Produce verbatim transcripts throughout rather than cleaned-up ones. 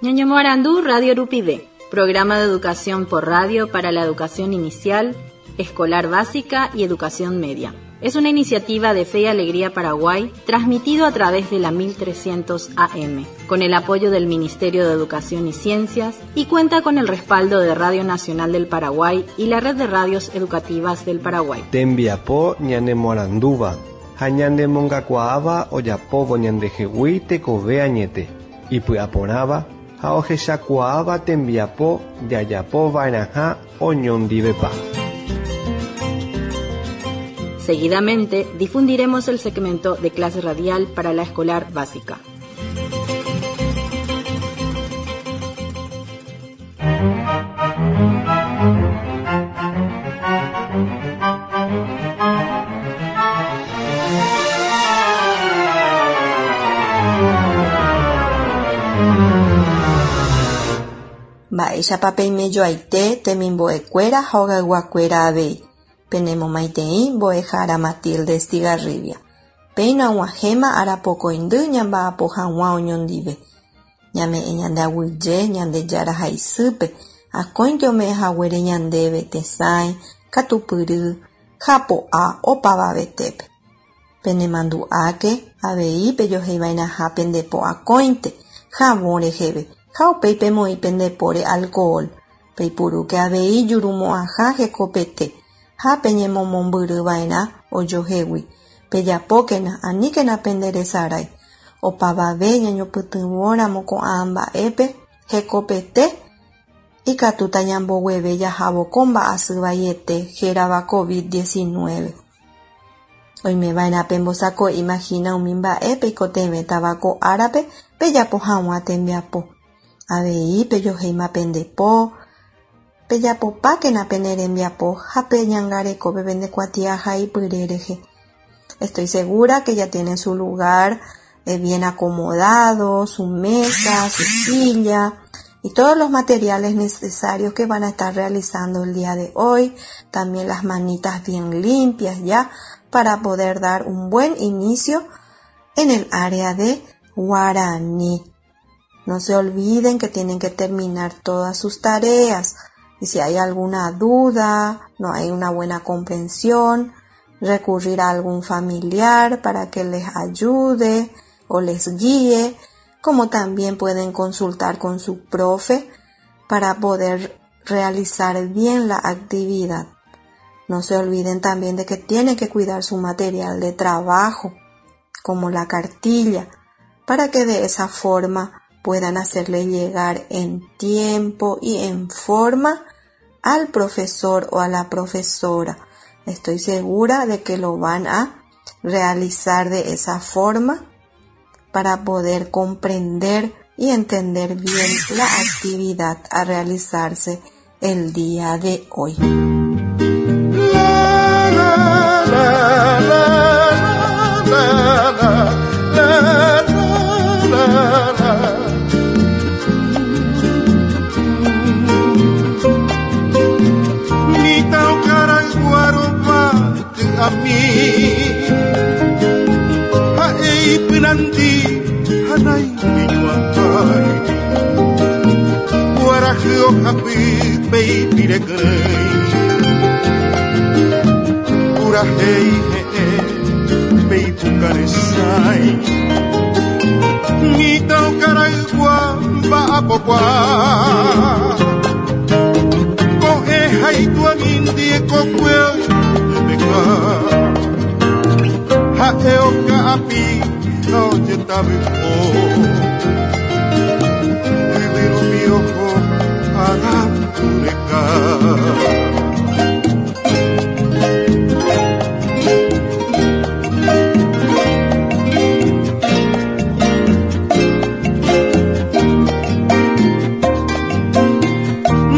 Ñoñomoarandu Radio Rupive, programa de educación por radio para la educación inicial, escolar básica y educación media. Es una iniciativa de Fe y Alegría Paraguay, transmitido a través de la mil trescientos A M, con el apoyo del Ministerio de Educación y Ciencias, y cuenta con el respaldo de Radio Nacional del Paraguay y la Red de Radios Educativas del Paraguay. Tembiapo ñanemoarandúva, ha ñanemongakuaáva ojapóvo ñandehegui tekove añete, ipy'aporãva ha ohechakuaáva tembiapo jajapova'erãha oñondivepa. Seguidamente, difundiremos el segmento de clase radial para la escolar básica. Mba'éichapa peimejoaite temimbo'ekuéra ha ogayguakuéra avei. Penemomaitei mbo'ehára Matilde Estigarribia. Péina og̃uahẽma arapokõindy ñamba'apo hag̃ua oñondive. Ñame'ẽ ñande aguyje Ñandejára ha isýpe, akóinte ome'ẽhaguére ñandéve tesãi, katupyry, japo'a opavavetépe. Penemandu'áke avei pejoheiva'erãha pendepo akóinte, javõ reheve, ha upéi pemoĩ pendepóre alcohol. Peipurúke avei jurumo'ãha hekopete ha peñemomombyryva'erã ojohegui. Pejapókena aníkena penderesarái. Opavave ñañopytyvõramo ko'ã mba'épe hekopete ikatúta ñambogueve jahávo ko mba'asy vaiete hérava COVID diecinueve. Oimeva'erã pembosako'i imagina umi mba'e peikotevẽtava ko árape pejapo hag̃ua tembiapo. Avei pejohéima pendepo, pejapopákena pene rembiapo ha peñangarekópe pendekuatiaha ipyre rehe. Estoy segura que ya tienen su lugar, eh, bien acomodado, su mesa, su silla y todos los materiales necesarios que van a estar realizando el día de hoy. También las manitas bien limpias ya para poder dar un buen inicio en el área de guaraní. No se olviden que tienen que terminar todas sus tareas. Y si hay alguna duda, no hay una buena comprensión, recurrir a algún familiar para que les ayude o les guíe, como también pueden consultar con su profe para poder realizar bien la actividad. No se olviden también de que tienen que cuidar su material de trabajo, como la cartilla, para que de esa forma puedan hacerle llegar en tiempo y en forma al profesor o a la profesora. Estoy segura de que lo van a realizar de esa forma para poder comprender y entender bien la actividad a realizarse el día de hoy. La, la, la, la, la, la, la, la, la. A mí, haei pinandi, hanai miñuatai, guarajio japi peipirekrei, urajei he peipukaresai, mitao karaigua ba'apokua, ko'e haitua mindie kokue. Ha'e oka'api ha ojetavýpo yvyrupi oho arapyreka.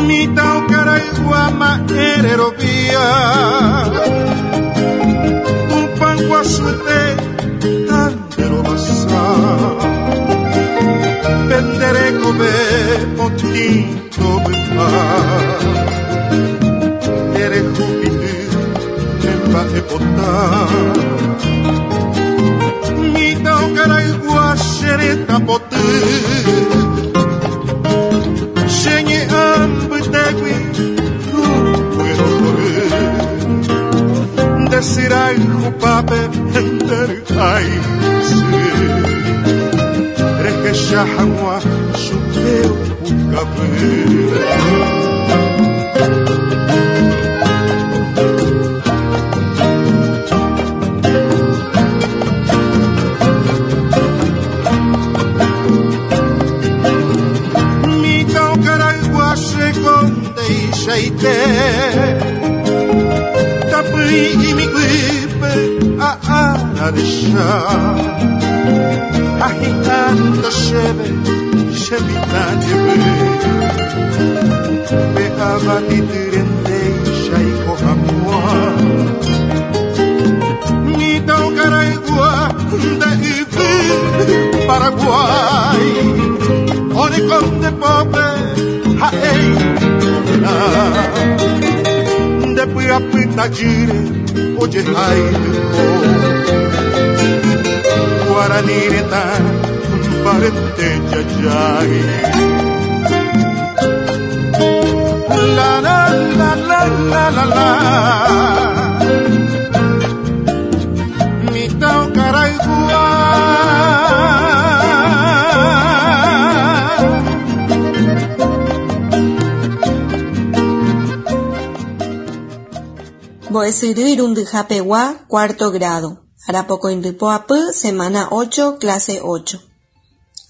Mitã okaraygua ma'ẽrerovia penderekove potĩto vy'a erehupity chemba'epota mitã okaraygua che reta poty Ndesirai jupape enter ai se Rehecha hag̃ua chupe opukape. Shaite Tapui imiguipe a araresha Ahitando shebe shemitanyebe Peabatitirende shaiko hamua Mitau caraigua de ibi Paraguay Ore conde pope haei Ndepy'apytajýre ojehaitypo Guarani retã mbarete jajái. La la la la la la la Mitã Karaygua. Mbo'esyry irundyhapegua, cuarto grado. Arapokõindypoapy, semana ocho, clase ocho.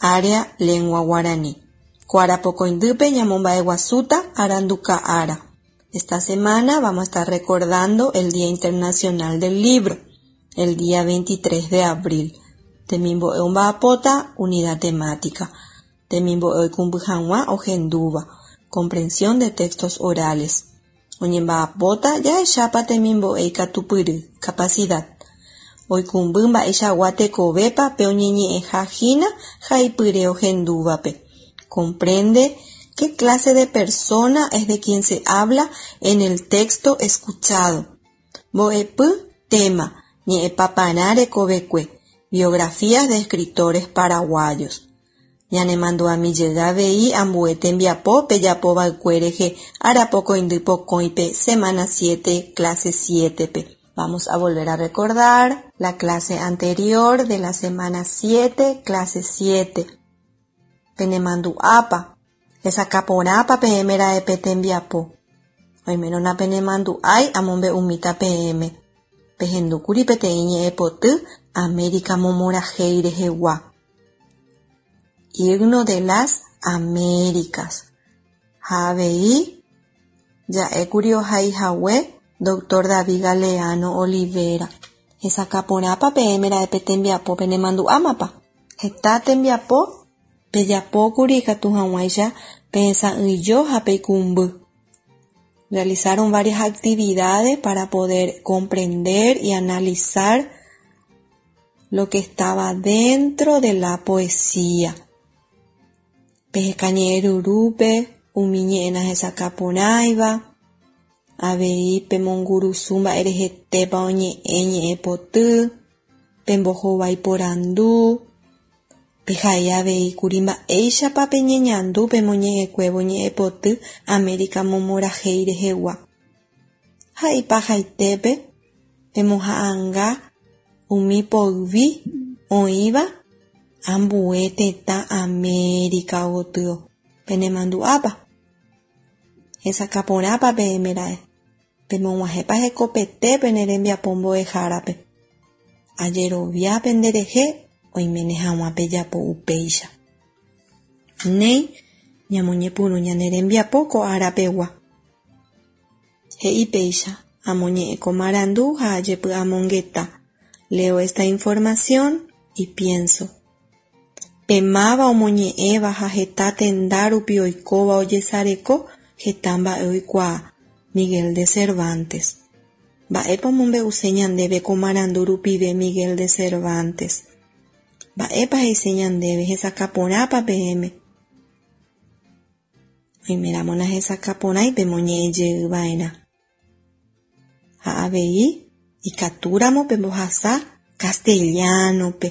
Área, lengua guaraní. Ko arapokõindýpe ñamomba'eguasúta aranduka ára. Esta semana vamos a estar recordando el Día Internacional del Libro, el día veintitrés de abril. Temimbo'e omba'apóta, unidad temática. Temimbo'e oikũmby hag̃ua ohendúva, comprensión de textos orales. Oñemba'apóta jahechápa temimbo'e ikatupyry, capacidad. Oikũmby mba'eichagua tekovépa pe oñeñe'ẽhahína haipyre ohendúvape. Comprende qué clase de persona es de quien se habla en el texto escuchado. Mbo'epy, tema, ñe'ẽpaparã rekovekue, biografías de escritores paraguayos. Ñanemandu'amijey avei ambue tembiapo pejapova'ekue rehe arapokõindypokõipe semana siete, clase siete-pe. Vamos a volver a recordar la clase anterior de la semana siete, clase siete. Penemandu'ápa, hesakãporãpa peẽme ra'e tembiapo. Oimérõ napenemandu'ái amombe'umíta peẽme. Pehendúkuri peteĩ ñe'ẽpoty América momorãhéi rehegua. Himno de las Américas. Ha avei ja'ékuri ohaihague doctor David Galeano Olivera. Hesakãporãpa peẽme ra'e tembiapo penemandu'ámapa. Heta tembiapo pejapókuri ikatu hag̃uáicha pehesa'ỹijo ha peikũmby. Realizaron varias actividades para poder comprender y analizar lo que estaba dentro de la poesía. Peheka ñe'ẽrurúpe umi ñe'ẽ nahesakãporãiva, avei pemongurusu mba'erehetépa oñe'ẽ ñe'ẽpoty, pembohovái porandu, pehai avei kuri mba'éichapa peñeñandu pemoñe'ẽkuévo ñe'ẽpoty América momorãhéi rehegua. Ha ipahaitépe pemoha'ãnga umi poyvi oĩva ambue tetã América gotyo. Penemandu'ápa. Hesakãporãpa peẽme ra'e. Pemog̃uahẽpa hekopete pene rembiapo mbo'ehárape. Ajerovia penderehe oiméne hag̃ua pejapo upéicha. Néi ñamoñepyrũ ñane rembiapo ko arapegua. He'i péicha amoñe'ẽ ko marandu ha ajepy'amongeta. Leo esta información y pienso. Pe máva omoñe'ẽva ha heta tenda rupi oikóva ojesareko heta mba'e oikuaa. Miguel de Cervantes. Mba'épa omombe'use ñandéve ko marandu rupive Miguel de Cervantes. Mba'épa he'ise ñandéve hesakãporãpa peẽme. Oiméramo nahesakãporãi pemoñe'ẽjeyva'erã. Ha avei ikatúramo pembohasa castellano-pe.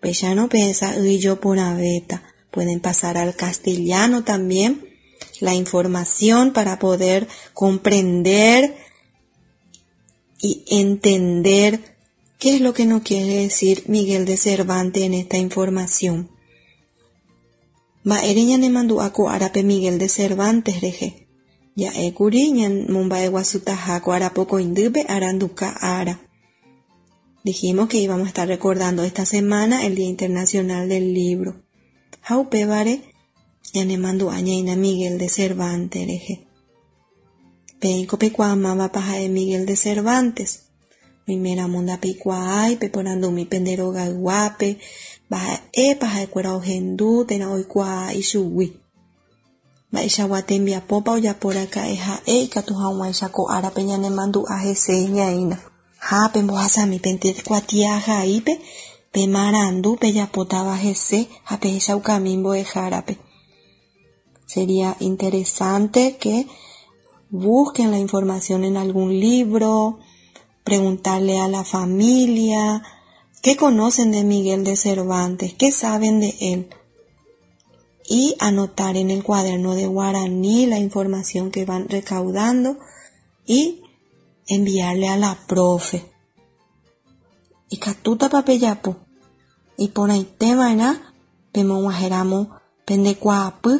Péicharõ pehesa'ỹijoporãvéta. Pueden pasar al castellano también la información para poder comprender y entender qué es lo que nos quiere decir Miguel de Cervantes en esta información. Mba'ére ñanemandu'a ko árape Miguel de Cervantes rehe. Ja'ékuri ñamomba'eguasutaha ko arapokõindýpe aranduka ára. Dijimos que íbamos a estar recordando esta semana el Día Internacional del Libro. Ha upévare ñanemandu'a ñaína Miguel de Cervantes rehe. Peẽiko peikuaamávapa ha'e Miguel de Cervantes. Oiméramo ndapeikuaái peporandumi pende rogayguápe mba'épa ha'ekuéra ohendu térã oikuaa ichugui. Mba'eichagua tembiapópa ojaporaka'e ha'e ikatu hag̃uáicha ko árape ñanemandu'a hese ñaína. Ha pembohasami pende kuatiahaípe pemarandu pejapótava hese ha pehechaukami mbo'ehárape. Sería interesante que busquen la información en algún libro, preguntarle a la familia qué conocen de Miguel de Cervantes, qué saben de él, y anotar en el cuaderno de guaraní la información que van recaudando y enviarle a la profe. Ikatútapa pejapo. Iporãitéva'erã pemog̃uahẽramo pendekuaapy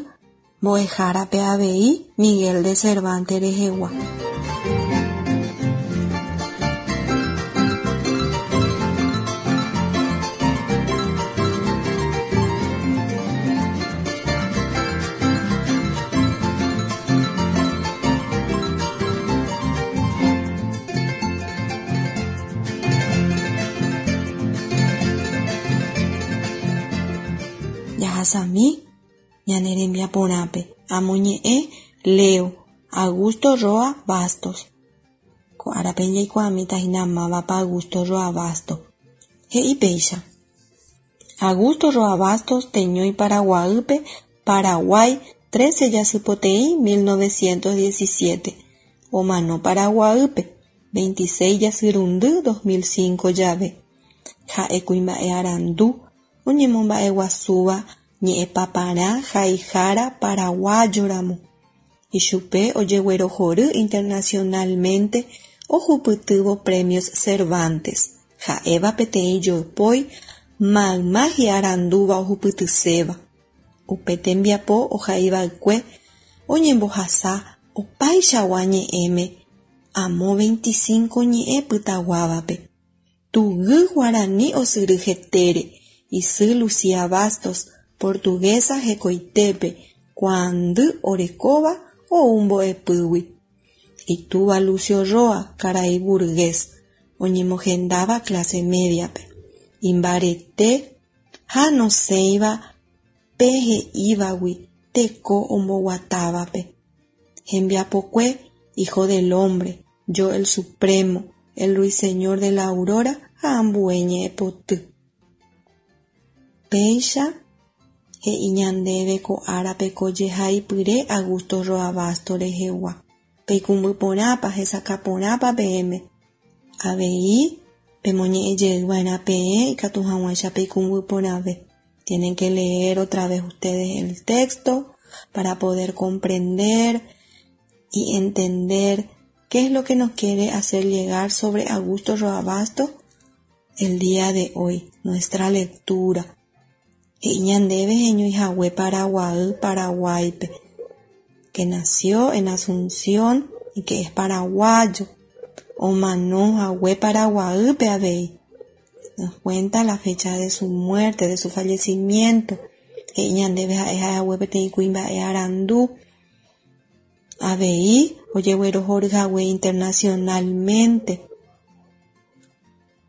mbo'ehárape avei Miguel de Cervantes rehegua. Jahasami ñane rembiaporãpe amoñe'ẽ Leo Augusto Roa Bastos. Ko árape jaikuaamíta hína mávapa Augusto Roa Bastos. He'i péicha. Augusto Roa Bastos teñói Paraguaýpe, Paraguay, trece jasypoteĩ mil novecientos diecisiete. Omano Paraguaýpe, veintiséis jasyrundy dos mil cinco jave. Ha'e kuimba'e arandu oñemomba'eguasúva ñe'ẽpaparã haihára paraguayoramo. Ichupe ojeguerohory internacionalmente ohupytývo Premios Cervantes. Ha'éva peteĩ jopói mayma hi'arandúva ohupytyséva. Upe tembiapo ohaiva'ekue oñembohasa opaichagua ñe'ẽme amo veinticinco ñe'ẽ pytaguávape. Tuguy guarani osyry hetére isy Lucía Bastos, portuguesa hekoitépe, kuaandy orekóva ou mbo'epýgui. Itúva Lucio Roa, karai burgués, oñemohendáva clase mediape. Imbarete ha nosẽiva pe he'ívagui teko omboguatávape. Hembiapokue, hijo del hombre, yo el supremo, el ruiseñor de la aurora ha ambue ñe'ẽpoty. Péicha he'i ñandéve ko árape ko jehaipyre Augusto Roa Bastos rehegua. Peikũmbyporãpa hesakãporãpa peẽme. Avei pemoñe'ẽjeyva'erã peẽ ikatu hag̃uáicha peikũmbyporãve. Tienen que leer otra vez ustedes el texto para poder comprender y entender qué es lo que nos quiere hacer llegar sobre Augusto Roa Bastos el día de hoy, nuestra lectura. He'i ñandéve heñoihague Paraguay, Paraguaype, que nació en Asunción y que es paraguayo. Omano hague Paraguaype avei. Nos cuenta la fecha de su muerte, de su fallecimiento. He'i ñandéve ha'e hague peteĩ kuimba'e arandu. Avei ojeguerohory hague internacionalmente.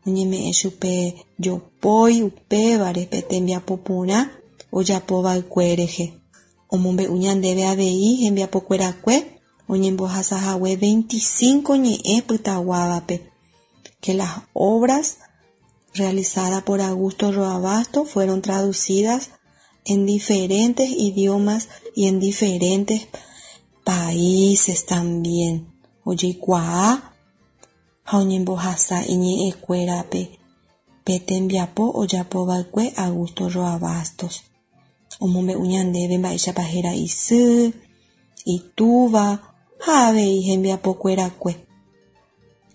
Oñeme'ẽ chupe jopói upévare pe tembiapoporã ojapova'ekue rehe. Omombe'u ñandéve avei hembiapokuerakue oñembohasahague veinticinco ñe'ẽ pytaguávape. Que las obras realizadas por Augusto Roa Bastos fueron traducidas en diferentes idiomas y en diferentes países también. Ojeikuaa ha oñembohasa iñe'ẽkuérape pe tembiapo ojapova'ekue Augusto Roa Bastos. Omombe'u ñandéve mba'éichapa héra isy, itúva ha avei hembiapokuerakue.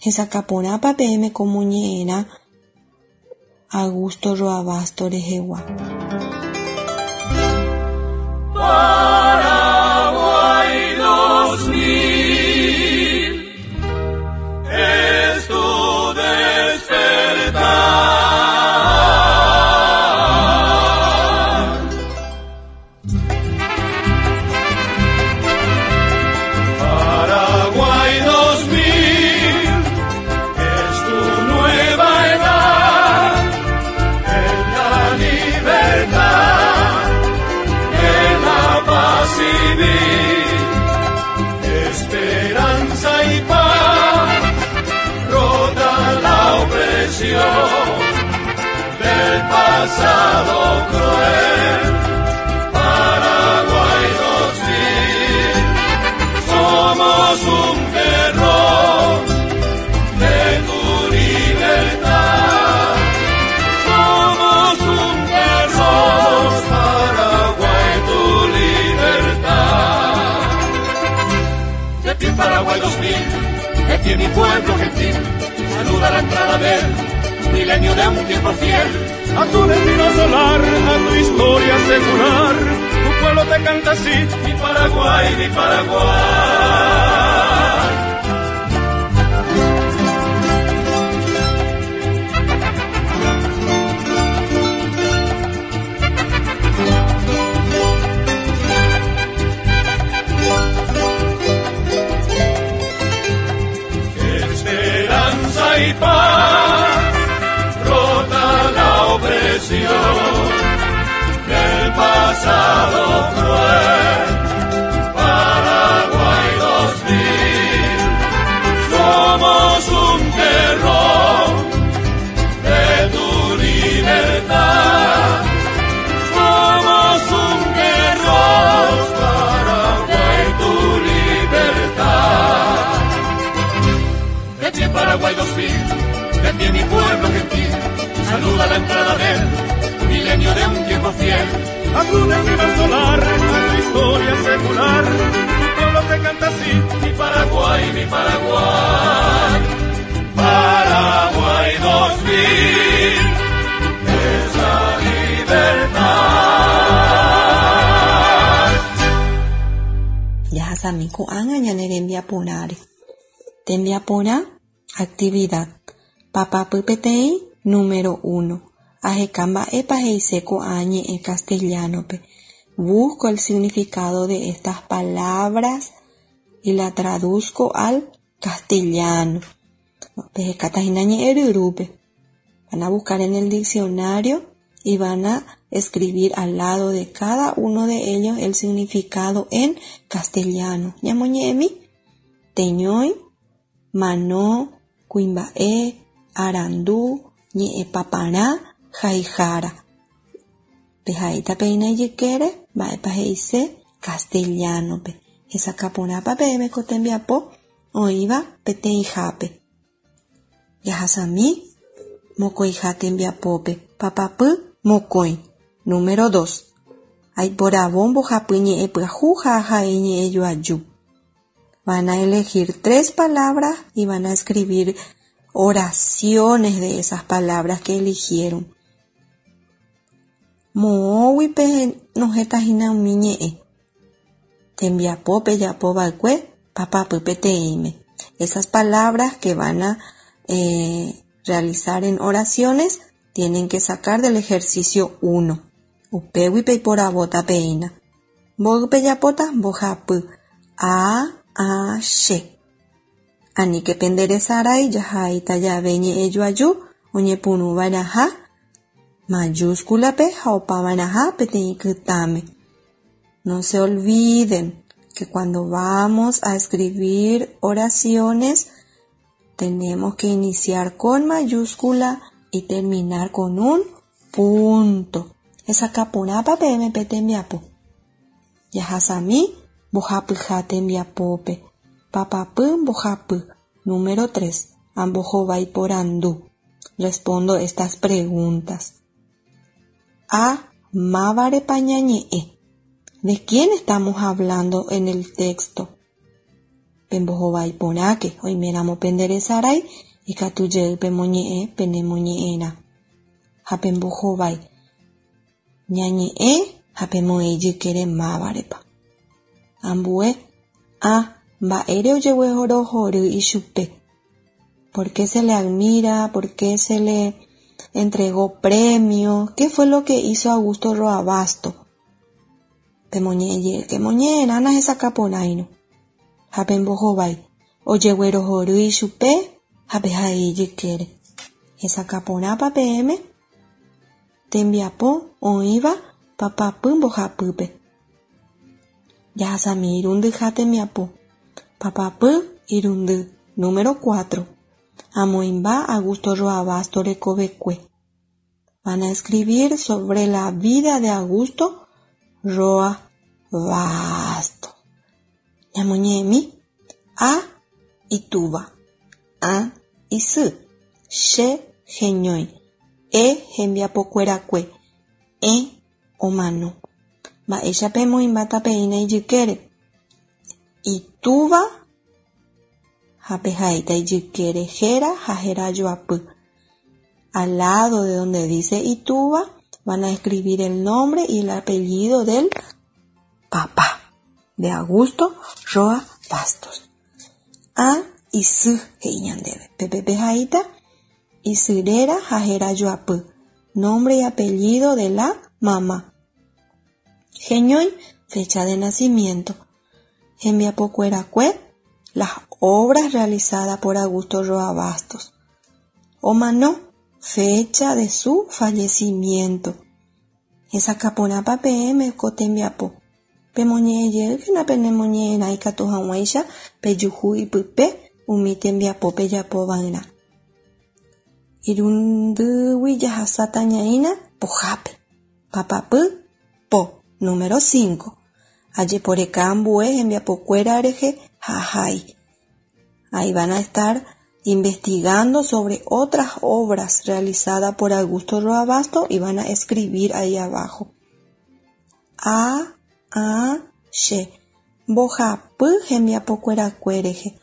Hesakãporãpa peẽme ko moñe'ẽrã Augusto Roa Bastos rehegua. Paraguay dos mil es tu despertar. Paraguay dos mil es tu nueva edad, en la libertad, en la paz civil, esperanza y paz, rota la opresión del pasado cruel. Paraguay dos mil, somos un terror de tu libertad. Somos un terror, Paraguay, tu libertad. De pie Paraguay dos mil, de pie mi pueblo gentil, saluda la entrada del milenio de un tiempo fiel. A tu destino solar, a tu historia secular, tu pueblo te canta así, mi Paraguay, mi Paraguay. Esperanza y paz, rota la opresión del pasado cruel. Paraguay dos mil, somos un terror de tu libertad. Somos un terror, Paraguay, tu libertad. De pie Paraguay dos mil, de pie mi pueblo gentil, saluda la entrada del milenio de un tiempo fiel. A tu destino solar, a tu historia secular, tu pueblo te canta así, mi Paraguay, mi Paraguay. Paraguay dos mil, es la libertad. Jahasami ko'ág̃a ñane rembiaporãre. Tembiaporã, actividad. Papapy peteĩ, número uno. Aheka mba'épa he'ise ko'ã ñe'ẽ castellano-pe. Busco el significado de estas palabras y la traduzco al castellano. Pehekatahína ñe'ẽ ryrúpe. Van a buscar en el diccionario y van a escribir al lado de cada uno de ellos el significado en castellano. Ñamoñe'ẽmi, teñói, mano, kuimba'e, arandu, ñe'ẽpaparã, haihára. Pehaíta peína ijykére, mba'épa he'ise castellano-pe. Hesakãporãpa peẽme ko tembiapo oĩva peteĩhápe. Jahasami mokõiha tembiapópe. Papapy mokõi. Número dos. Aiporavo mbohapy ñe'ẽ pyahu ha ha'e ñe'ẽ joaju. Van a elegir tres palabras y van a escribir oraciones de esas palabras que eligieron. Moõgui penohẽtahína umi ñe'ẽ. Tembiapo pejapova'ekue papapy peteĩme. Esas palabras que van a eh, realizar en oraciones tienen que sacar del ejercicio uno. Upégui peiporavóta peína. Mboy pejapóta mbohapy. A, A, che. Aníke penderesarái jahaíta jave ñe'ẽ joaju oñepyrũva'erãha mayúsculape ha opava'erãha peteĩ kytãme. No se olviden que cuando vamos a escribir oraciones tenemos que iniciar con mayúscula y terminar con un punto. Hesakãporãpa peẽme pe tembiapo. Jahasami mbohapyha tembiapópe. Papapy mbohapy. Número tres. Ambohovái porandu. Respondo estas preguntas. A. Mávarepa ñañe'ẽ. ¿De quién estamos hablando en el texto? Pembohovái porãke oiméramo penderesarái ikatu jey pemoñe'ẽ penemoñe'ẽrã. Ha pembohovái ñañe'ẽ ha pemoĩ jykére mávarepa. Ambue A. Mba'ére ojeguerohory ichupe. ¿Por qué se le admira? ¿Por qué se le entregó premio? ¿Qué fue lo que hizo Augusto Roa Bastos? Pemoñe'ẽ jeýke moñe'ẽrã nahesakãporãirõ. Ha pembohovái ojeguerohory ichupe ha pehai ijykére. Hesakãporãpa peẽme tembiapo oĩva papapy mbohapýpe. Jahasami irundyha tembiapo. Papapy irundy número cuatro. Amoĩmba Augusto Roa Bastos rekovekue. Van a escribir sobre la vida de Augusto Roa Bastos. Ñamoñe'ẽmi A. Itúva Ã. Isy Che heñói E. Hembiapokuerakue Ẽ. Omano. Mba'éichapa emoĩmbáta peína ijykére. Itúva ha pehaíta ijykére héra ha herajoapy. Al lado de donde dice itúva van a escribir el nombre y el apellido del papá de Augusto Roa Bastos. Ã. Isy he'i ñandéve. Pépe pehaíta isy réra ha herajoapy. Nombre y apellido de la mamá. Heñói, fecha de nacimiento. Hembiapokuerakue, las obras realizadas por Augusto Roa Bastos. Omano, fecha de su fallecimiento. Hesakãporãpa peẽme ko tembiapo. Pemoñe'ẽ jeýkena penemoñe'ẽrã ikatu hag̃uáicha pejuhu ipype umi tembiapo pejapova'erã. Irundýgui jahasáta ñaína pohápe. Papapy po número cinco. Ajeporeka ambue hembiapokuéra rehe ha ahai. Ahí van a estar investigando sobre otras obras realizadas por Augusto Roa Bastos y van a escribir ahí abajo. A, A, Che. Mbohapy hembiapokuerakue rehe.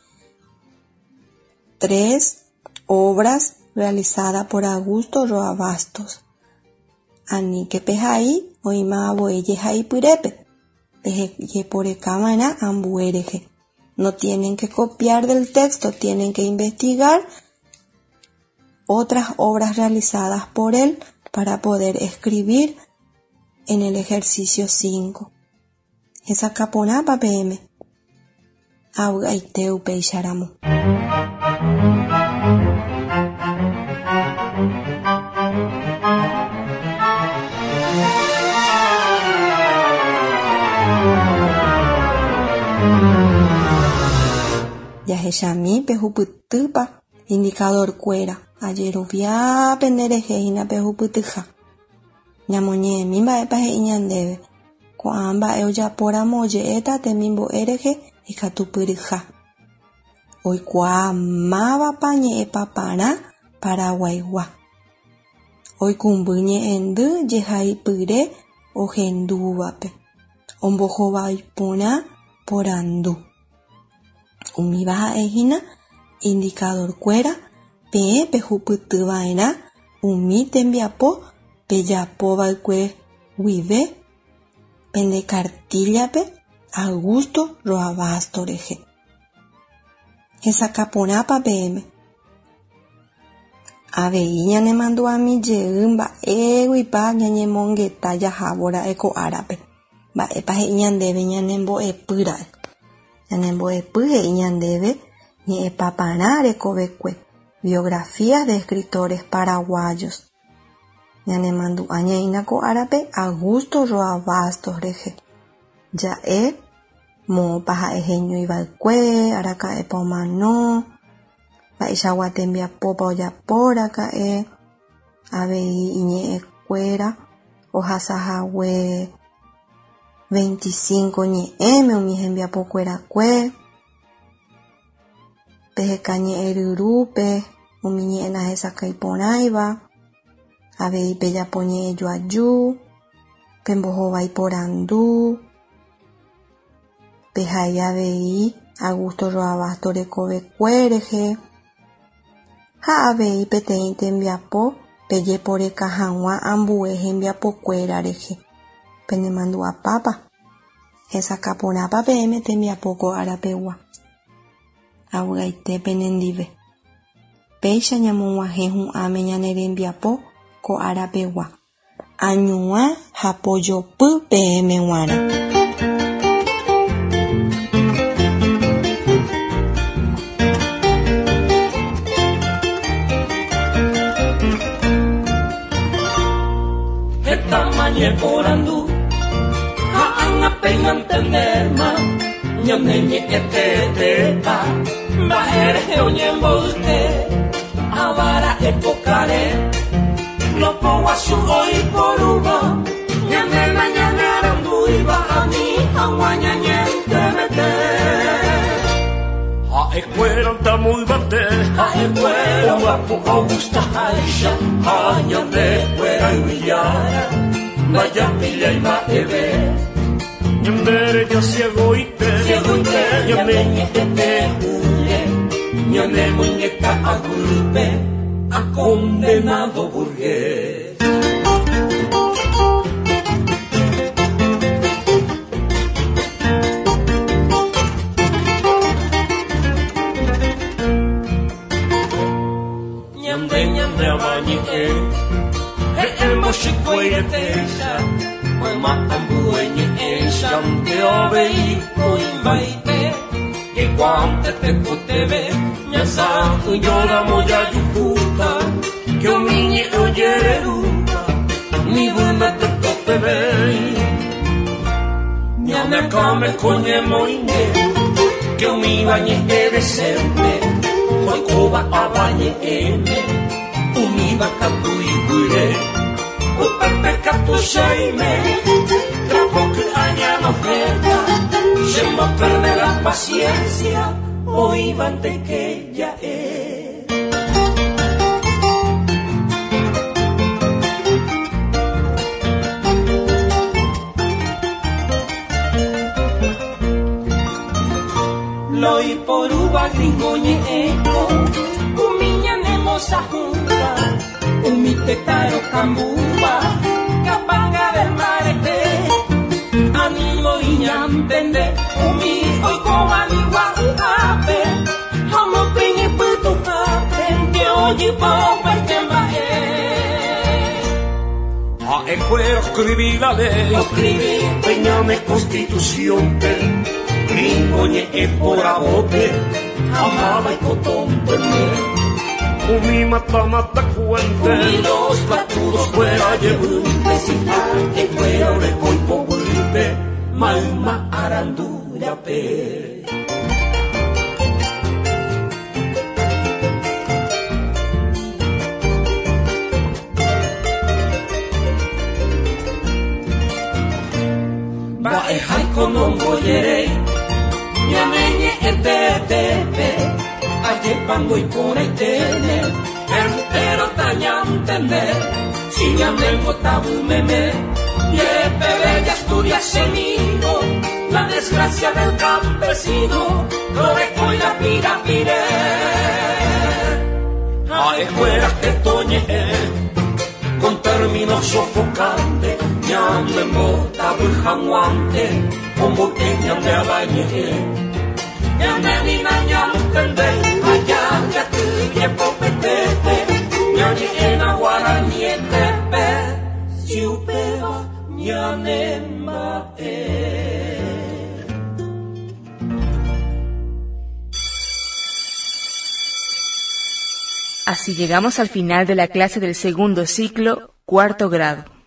Tres obras realizadas por Augusto Roa Bastos. Aníke pehai oĩmavoi jehaipyrépe. Pejeporekava'erã ambue rehe. No tienen que copiar del texto, tienen que investigar otras obras realizadas por él para poder escribir en el ejercicio cinco. Hesakãporãpa peẽme. Avy'aite upéicharamo. Jahechami pehupytýpa indicadorkuéra ajerovia penderehe hína pehupytyha. Ñamoñe'ẽmi mba'épa he'i ñandéve. Ko'ã mba'e ojapóramo oje'éta temimbo'e rehe ikatupyryha. Oikuaa mávapa ñe'ẽpaparã Paraguaygua. Oikũmby ñe'ẽndy jehaipyre ohendúvape. Ombohovái porã porandu. Umíva ha'ehína indicadorkuéra peẽ pehupytyva'erã umi tembiapo pejapova'ekue guive pende cartillape Augusto Roa Bastos rehe. Hesakãporãpa peẽme. Avei ñanemandu'ami jey mba'éguipa ñañemongeta jahávora'e ko árape. Mba'épa he'i ñandéve ñanembo'epýra'e. Ñanembo'epy he'i ñandéve ñe'ẽpaparã rekovekue. Biografías de escritores paraguayos. Ñanemandu'a ñaína ko árape Augusto Roa Bastos rehe. Ja'e moõpa ha'e heñoiva'ekue, araka'épa omano, mba'eichagua tembiapópa ojapóraka'e, avei iñe'ẽkuéra ohasahague veinticinco ñe'ẽme umi hembiapokuerakue, peheka ñe'ẽryrúpe umi ñe'ẽ nahesakãiporãiva, avei pejapo ñe'ẽjoaju, pembohovái porandu, pehai avei Augusto Roa Bastos rekovekue rehe ha avei peteĩ tembiapo pejeporeka hag̃ua ambue hembiapokuéra rehe. Penemandu'apápa hesakãporãpa peẽme tembiapo ko arapegua. Avy'aite penendive. Péicha ñamog̃uahẽ hu'ãme ñane rembiapo ko arapegua. Añuã ha pojopy peẽme g̃uarã. Porandu ha ág̃a peñantendéma ñaneñe'ẽtetépa mba'érehe oñemboyke avara epokare lopoguasu oiporúva ñanéma ñanearandúiva ani hag̃ua ñañentemete ha'ekuéra ntamoyvate ha'ekuéra omba'apo ogustaháicha ha ñandekuéra yvyjára Vaya pilla y mba'eve Ñandereja ciegoite Ciegoite Ñaneñe'ẽte huye Ñane muñeca agulpe A condenado burgués. Ñande ñande abañe'ẽ He'ẽmbochikuairetéicha mayma ambue ñe'ẽicha nde avei oĩmbaite Jaikuaánte tekotevẽ ñasã'ỹjóramo jajuhúta que umi ñe'ẽ ojererúta nivýme tekotevẽi Ñaneakãme ko ñemoĩne que umíva ñe'ẽ decente oikóva avañe'ẽme umíva katu iguýre Upepe katu cheime trapo ky'añanohẽta chemboperde la paciencia oĩvante que ja'e. Loiporúva gringo ñe'ẽko umi ñanemosahúva umi tetã rokambúva kapanga del marete animo iñantende umi oikóva nigua'yhápe ha mopeñepytuhápe nde ojypópaite mba'e. Ha'ekuéra oscribí la ley oscribí pe ñane constitución-pe gringo ñe'ẽ poravópe ha máva ikotónteme Umi mata mata cuente Umi los patudos fuera yevýpe si ha'ekuéra oreko ipoguýpe mayma arandúrape. Mba'eháiko nombojeréi ñaneñe'ẽtetépe Ajepango iporãiténe entero tañantende si ñanembotavymeme Yepe ya estudia semino la desgracia del campesino loreco y la pirapire Ha'ekuéra tetoñe'ẽ con términos sofocantes ñanembotavy hag̃uánte omboyke ñande avañe'ẽ Ñanenina ñantende allá yaty jepopetete ñañe'ẽna guaranietépe si upéva ñanemba'e. Así llegamos al final de la clase del segundo ciclo, cuarto grado.